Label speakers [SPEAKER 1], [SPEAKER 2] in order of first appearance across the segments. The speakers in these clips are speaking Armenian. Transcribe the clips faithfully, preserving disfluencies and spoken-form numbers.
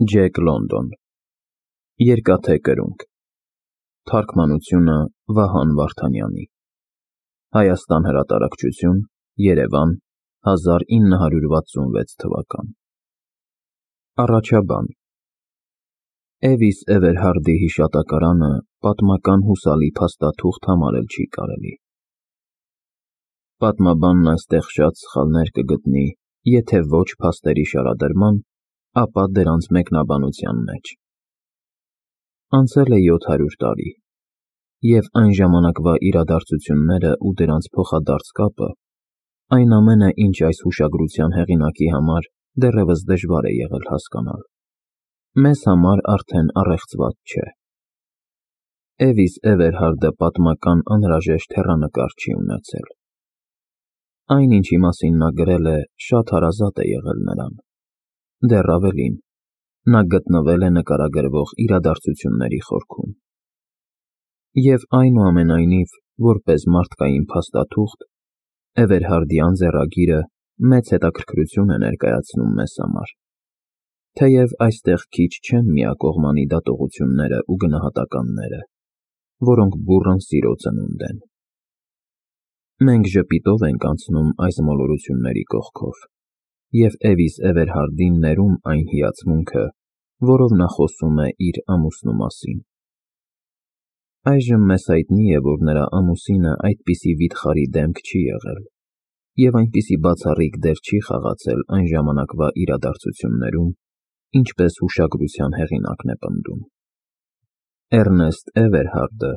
[SPEAKER 1] Ջեք Լոնդոն Երկաթե կրունկ Թարգմանությունը Վահան Վարդանյանի Հայաստան հրատարակչություն Երևան հազար ինը հարյուր վաթսունվեց թվական Առաջաբան Էվիս Էվերհարդի հիշատակարանը պատմական հուսալի փաստաթուղթ համարել չի կարելի։ Պատմաբանն այստեղ շատ սխալներ կգտնի, եթե ոչ փաստերի շարադրման, ապա դրանց մեկնաբանության մեջ։ Անցել է յոթ հարյուր տարի, և այն ժամանակվա իրադարձությունները ու դրանց փոխադարձ կապը, այն ամենը, ինչ այս հուշագրության հեղինակի համար դեռևս դժվար է եղել հասկանալ, մեզ համար արդեն առեղծված չէ։ Էվիս Էվերհարդը պատմական անհրաժեշտ հեռանկար չի ունեցել։ Այն, ինչի մասին նա գրել է, շատ հարազատ է եղել նրան։ Դեռ ավելին, նա գտնվել է նկարագրվող իրադարձությունների խորքում։ Եվ այնուամենայնիվ, որպես մարդկային փաստաթուղթ, Էվերհարդյան ձեռագիրը մեծ հետաքրքրություն է ներկայացնում մեզ համար, թեև այստեղ քիչ չեն միակողմանի դատողությունները ու գնահատականները, որոնք բուռն սիրո ծնունդ են։ Մենք ժպիտով ենք անցնում այս մոլորությունների կողքով, և Էվիս Էվերհարդին ներում այն հիացմունքը, որով նա խոսում է իր ամուսնու մասին։ Այժմ մեզ հայտնի է, որ նրա ամուսինը այդպիսի վիթխարի դեմք չի եղել, և այնպիսի բացառիկ դեր չի խաղացել այն ժամանակվա իրադարձություններում, ինչպես հուշագրության հեղինակն է պնդում։ Էռնեստ Էվերհարդը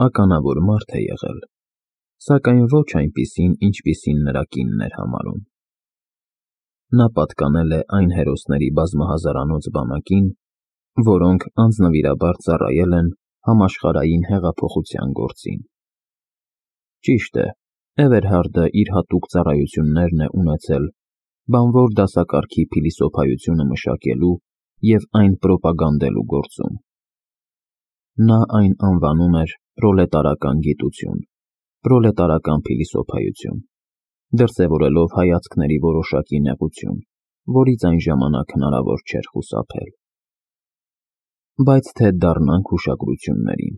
[SPEAKER 1] ականավոր մարդ է եղել, սակայն ոչ այնպիսին, ինչպիսին նրա կինն էր համարում։ Նա պատկանել է այն հերոսների բազմահազարանոց բանակին, որոնք անձնվիրաբար ծառայել են համաշխարհային հեղափոխության գործին։ Ճիշտ է, Էվերհարդը իր հատուկ ծառայություններն է ունեցել բանվոր դասակարգի փիլիսոփայությունը մշակելու և այն պրոպագանդելու գործում։ Նա այն անվանում էր պրոլետարական գիտություն, պրոլետարական փիլիսոփայություն, դրսևորելով հայացքների որոշակի նեղություն, որից այն ժամանակ հնարավոր չէր խուսափել։ Բայց թե դառնանք հուշագրություններին։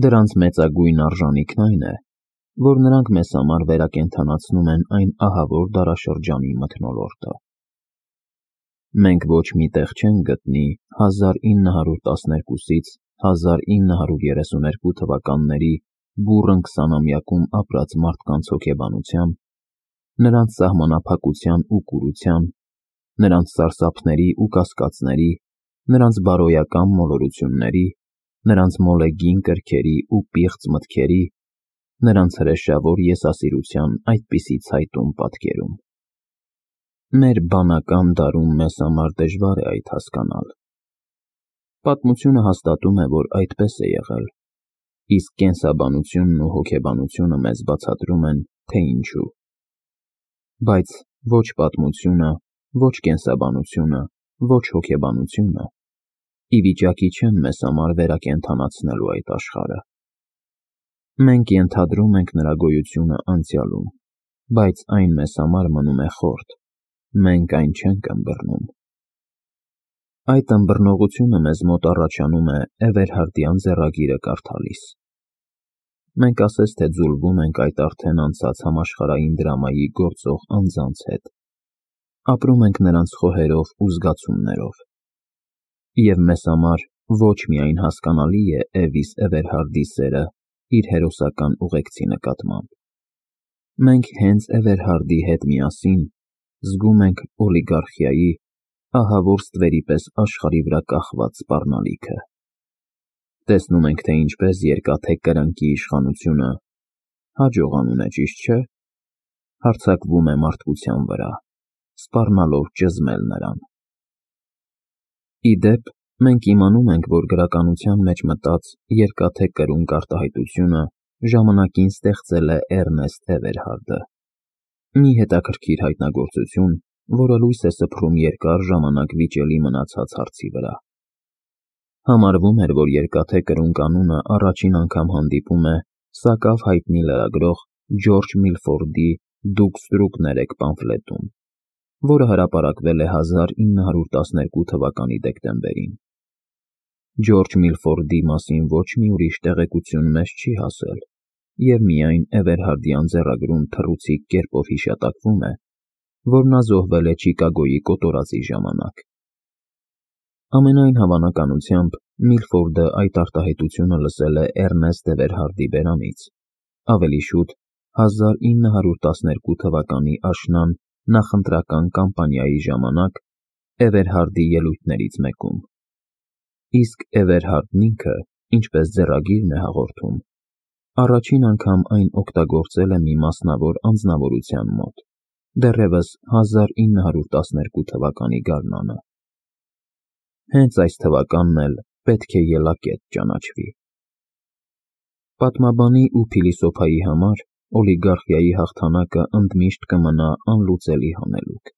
[SPEAKER 1] Դրանց մեծագույն արժանիքն այն է, որ նրանք մեզ համար վերակենդանացնում են այն ահավոր դարաշրջանի մթնոլորտը։ Մենք ոչ մի տեղ չենք գտնի հազար ինը հարյուր տասներկուսից հազար ինը հարյուր երեսուներկու թվականների բուռն քսանամյակում ապրած մարդկանց հոգեբանության, նրանց սահմանափակության ու կուրության, նրանց սարսափների ու կասկածների, նրանց բարոյական մոլորությունների, նրանց մոլեգին կրքերի ու պիղծ մտքերի, նրանց հրեշավոր եսասիրության այդպիսի ցայտուն պատկերում։ Մեր բանական դարում մեզ համար դժվար է այդ հասկանալ։ Պատմությունը հաստատում է, որ այդպես է եղել, իսկ կենսաբանությունն ու հոգեբանությունը մեզ բացատրում են, թե ինչու։ Բայց ոչ պատմությունը, ոչ կենսաբանությունը, ոչ հոգեբանությունը ի վիճակի չեն մեզ համար վերակենդանացնելու այդ աշխարհը։ Մենք ենթադրում ենք նրա գոյությունը անցյալում, բայց այն մեզ համար մնում է խորտ, մենք այն չենք ըմբռնում։ Այդ ըմբռնողությունը մեզ մոտ առաջանում է Էվերհարդյան ձեռագիրը կարդալիս։ Մենք ասես թե ձուլվում ենք այդ արդեն անցած համաշխարհային դրամայի գործող անձանց հետ, ապրում ենք նրանց խոհերով ու զգացումներով։ Եվ մեզ համար ոչ միայն հասկանալի է Էվիս Էվերհարդի սերը իր հերոսական ուղեկցի նկատմամբ։ Մենք հենց Էվերհարդի հետ միասին զգում ենք օլիգարխիայի ահավոր ստվերի պես աշխարհի վրա կախված սպառնալիքը։ Տեսնում ենք, թե ինչպես երկաթե կրնկի իշխանությունը հաջողանում է, ճիշտ չէ, հարձակվում է մարդկության վրա, սպառնալով ճզմել նրան։ Ի դեպ, մենք իմանում ենք, որ գրականության մեջ մտած երկաթե կրունկ արտահայտությունը ժամանակին ստեղծել է Էռնեստ Էվերհարդը, մի հետաքրքիր հայտնագործություն, որը լույս է սփռում երկար ժամանակ վիճելի մնացած հարցի վրա։ Համարվում էր, որ երկաթե կրունկ անունը առաջին անգամ հանդիպում է սակավ հայտնի լրագրող Ջորջ Միլֆորդի «Դուք ստրուկներ եք» պամֆլետում, որը հրապարակվել է հազար ինը հարյուր տասներկու թվականի դեկտեմբերին։ Ջորջ Միլֆորդի մասին ոչ մի ուրիշ տեղեկություն մեզ չի հասել, և միայն Էվերհարդյան ձեռագրում թռուցիկ կերպով հիշատակվում է, որ նա զոհվել է Չիկագոյի կոտորածի ժամանակ։ Ամենայն հավանականությամբ Միլֆորդը այդ արտահայտությունը լսել է Էռնեստ Էվերհարդի բերանից, ավելի շուտ հազար ինը հարյուր տասներկու թվականի աշնան նախընտրական կամպանիայի ժամանակ Էվերհարդի ելույթներից մեկում։ Իսկ Էվերհարդն ինքը, ինչպես ձեռագիրն է հաղորդում, առաջին անգամ այն օգտագործել է մի մասնավոր անձնավորության մոտ, դեռևս հազար ինը հարյուր տասներկու թվականի գարնանը։ Հենց այս թվականն էլ պետք է ելակետ ճանաչվի։ Պատմաբանի ու փիլիսոփայի համար օլիգարխիայի հաղթանակը ընդմիշտ կմնա անլուծելի հանելուկ։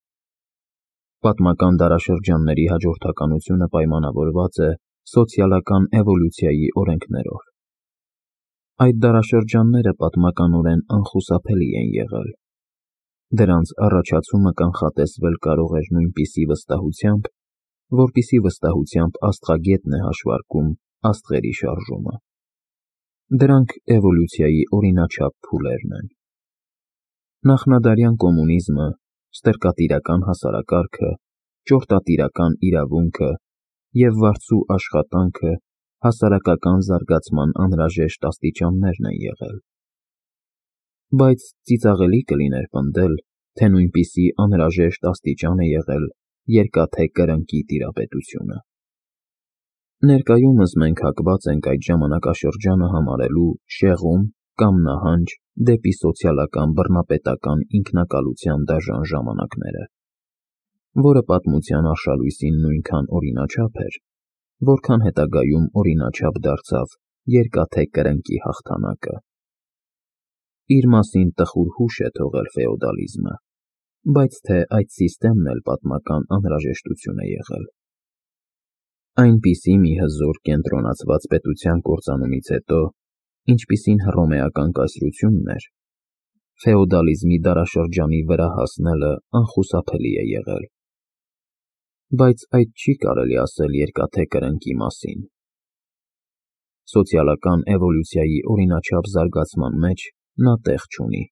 [SPEAKER 1] Պատմական դարաշրջանների հաջորդականությունը պայմանավորված է սոցիալական էվոլյուցիայի օրենքներով։ Այդ դարաշրջանները պատմականորեն անխուսափելի են եղել։ Դրանց առաջացումը կանխատեսվել կարող էր նույնպիսի վստահությամբ, որպիսի վստահությամբ աստղագետն է հաշվարկում աստղերի շարժումը։ Դրանք էվոլյուցիայի օրինաչափ փուլերն են։ Նախնադարյան կոմունիզմը, ստրկատիրական հասարակարգը, ճորտատիրական իրավունքը և վարձու աշխատանքը հասարակական զարգացման անհրաժեշտ աստիճաններն են եղել։ Բայց ծիծաղելի կլիներ պնդել, թե նույնպիսի անհրաժեշտ աստիճան է եղել երկաթե կրնկի տիրապետությունը։ Ներկայումս մենք հակված ենք այդ ժամանակաշրջանը համարելու շեղում կամ նահանջ դեպի սոցիալական բռնապետական ինքնակալության դաժան ժամանակները, որը պատմության արշալույսին նույնքան օրինաչափ էր, որքան հետագայում օրինաչափ դարձավ երկաթե կրնկի հաղթանակը։ Իր մասին տխուր հուշ է թողել ֆեոդալիզմը, բայց թե այդ սիստեմն էլ պատմական անհրաժեշտություն է եղել։ Այնպիսի մի հզոր կենտրոնացված պետության կործանումից հետո, ինչպիսին հռոմեական կայսրությունն էր, ֆեոդալիզմի դարաշրջանի վրա հասնելը անխուսափելի է եղել։ Բայց այդ չի կարելի ասել երկաթե կրնկի մասին։ Սոցիալական էվոլյուցիայի օրինաչափ զարգացման մեջ նա տեղ չունի։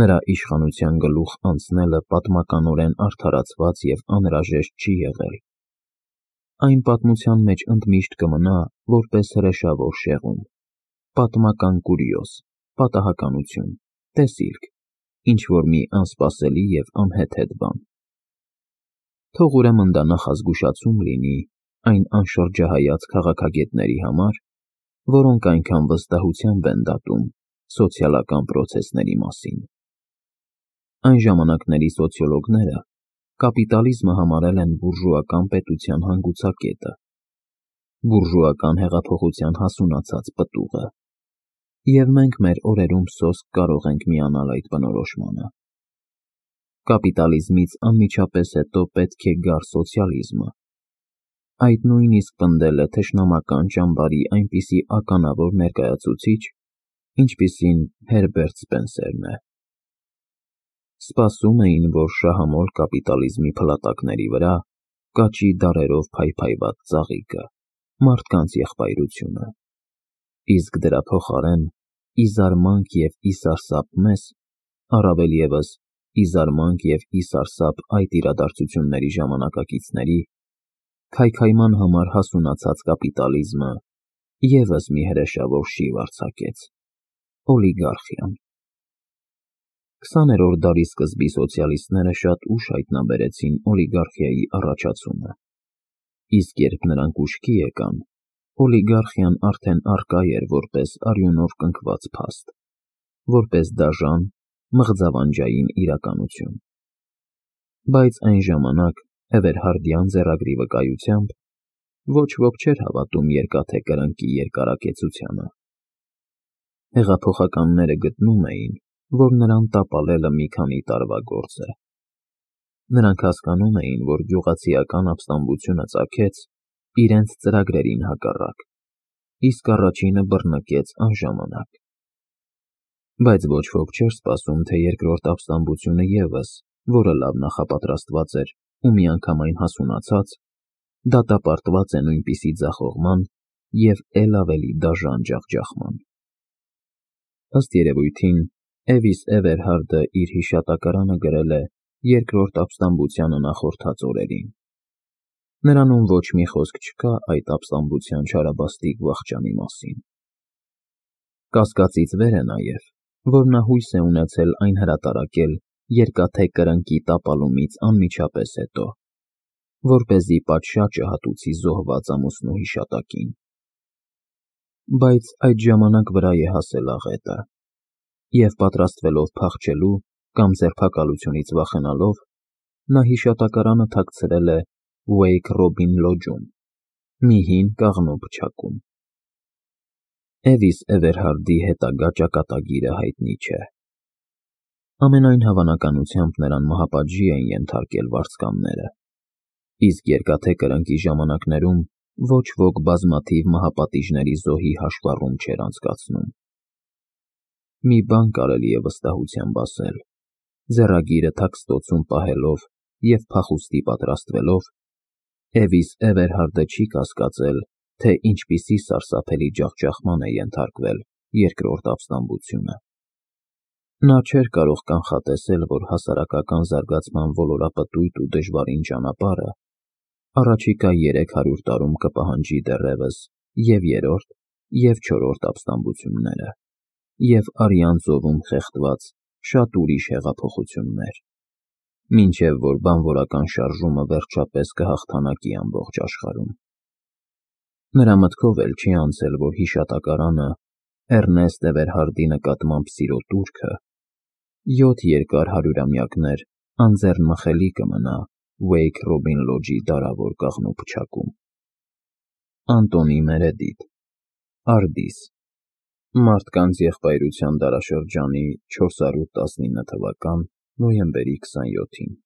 [SPEAKER 1] Նրա իշխանության գլուխ անցնելը պատմականորեն արդարացված և անհրաժեշտ չի եղել։ Այն պատմության մեջ ընդմիշտ կմնա որպես հրեշավոր շեղում, պատմական կուրիոզ, պատահականություն, տեսիլք, ինչ-որ մի անսպասելի և անհեթեթ բան։ Թող ուրեմն դա նախազգուշացում լինի այն անշրջահայաց քաղաքագետների համար, որոնք այնքան վստահությամբ են դատում սոցիալական պրոցեսների մասին։ Այն ժամանակների սոցիոլոգները կապիտալիզմը համարել են բուրժուական պետության հանգուցակետը, բուրժուական հեղափոխության հասունացած պտուղը, և մենք մեր օրերում սոսկ կարող ենք միանալ այդ բնորոշմանը։ Կապիտալիզմից անմիջապես հետո պետք է գար սոցիալիզմը։ Այդ նույնիսկ պնդել է թշնամական ճամբարի այնպիսի ականավոր ներկայացուցիչ, ինչպիսին Հերբերտ Սպենսերն է։ Սպասում էին, որ շահամոլ կապիտալիզմի փլատակների վրա կաճի դարերով փայփայված ծաղիկը, մարդկանց եղբայրությունը, իսկ դրա փոխարեն, ի զարմանք և ի սարսափ մեզ, առավել ևս ի զարմանք և ի սարսափ այդ իրադարձությունների ժամանակակիցների, քայքայման համար հասունացած կապիտալիզմը ևս մի հրեշավոր շիվ արձակեց՝ օլիգարխիան։ Քսաներորդ դարի սկզբի սոցիալիստները շատ ուշ հայտնաբերեցին օլիգարխիայի առաջացումը, իսկ երբ նրանք ուշքի եկան, օլիգարխիան արդեն առկա էր որպես արյունով կնքված փաստ, որպես դաժան, մղձավանջային իրականություն։ Բայց այն ժամանակ Էվերհարդյան ձեռագրի վկայությամբ ոչ ոք չէր հավատում երկաթե կրնկի երկարակեցությանը։ Հեղափոխականները գտնում էին, որ նրան տապալելը մի քանի տարվա գործ է։ Նրանք հասկանում էին, որ գյուղացիական ապստամբությունը ծագեց իրենց ծրագրերին հակառակ, իսկ առաջինը բռնկեց անժամանակ։ Բայց ոչ ոք չէր սպասում, թե երկրորդ ապստամբությունը ևս որը լավ նախապատրաստված էր ու միանգամայն հասունացած, դատապարտված է նույնպիսի ձախողման և էլ ավելի դաժան ջախջախման։ Ըստ երևույթին, Էվիս Էվերհարդը իր հիշատակարանը գրել է երկրորդ ապստամբությանը նախորդած օրերին։ Նրանում ոչ մի խոսք չկա այդ ապստամբության չարաբաստիկ վախճանի մասին։ Կասկածից վեր է նաև, որ նա հույս է ունեցել այն հրատարակել Երկաթե Կրնկի տապալումից անմիջապես հետո, որպեսզի պատշաճը հատուցի զոհված ամուսնու հիշատակին։ Բայց այդ ժամանակ վրա է հասել աղետը, և պատրաստվելով փախչելու կամ ձերբակալությունից վախենալով, նա հիշատակարանը թաքցրել է Wake Robin Lodge-ում, մի հին կաղնու փչակում։ Էվիս Էվերհարդի հետագա ճակատագիրը հայտնի չէ։ Ամենայն հավանականությամբ նրան մահապատժի էին ենթարկել վարձկանները, իսկ Երկաթե Կրնկի ժամանակներում ոչ ոք բազմաթիվ մահապատիժների զոհի հաշվառում չէր անցկացնում։ Մի բան կարելի է վստահությամբ ասել. ձեռագիրը թաքստոցում պահելով և փախուստի պատրաստվելով, Էվիս Էվերհարդը չի կասկածել, թե ինչպիսի սարսափելի ջախջախման է ենթարկվել երկրորդ ապստամբությունը։ Նա չէր կարող կանխատեսել, որ հասարակական զարգացման ոլորապտույտ ու դժվարին ճանապարհը առաջիկա երեք հարյուր տարում կպահանջի դեռևս և՛ երրորդ, և՛ չորրորդ ապստամբությունները, և արյան ծովում խեղդված շատ ուրիշ հեղափոխություններ, մինչև որ բանվորական շարժումը վերջապես կհաղթանակի ամբողջ աշխարհում։ Նրա մտքով էլ չի անցել, որ հիշատակարանը Էռնեստ Էվերհարդի նկատմամբ սիրո տուրքը յոթ երկար հարյուրամյակներ անձեռնմխելի կմնա Wake Robin Lodge-ի դարավոր կաղնու փչակում։ Անտոնի Մերեդիթ, Արդիս, Մարդկանց եղբայրության դարաշրջանի չորս հարյուր տասնինը թվական նոյեմբերի քսանյոթին։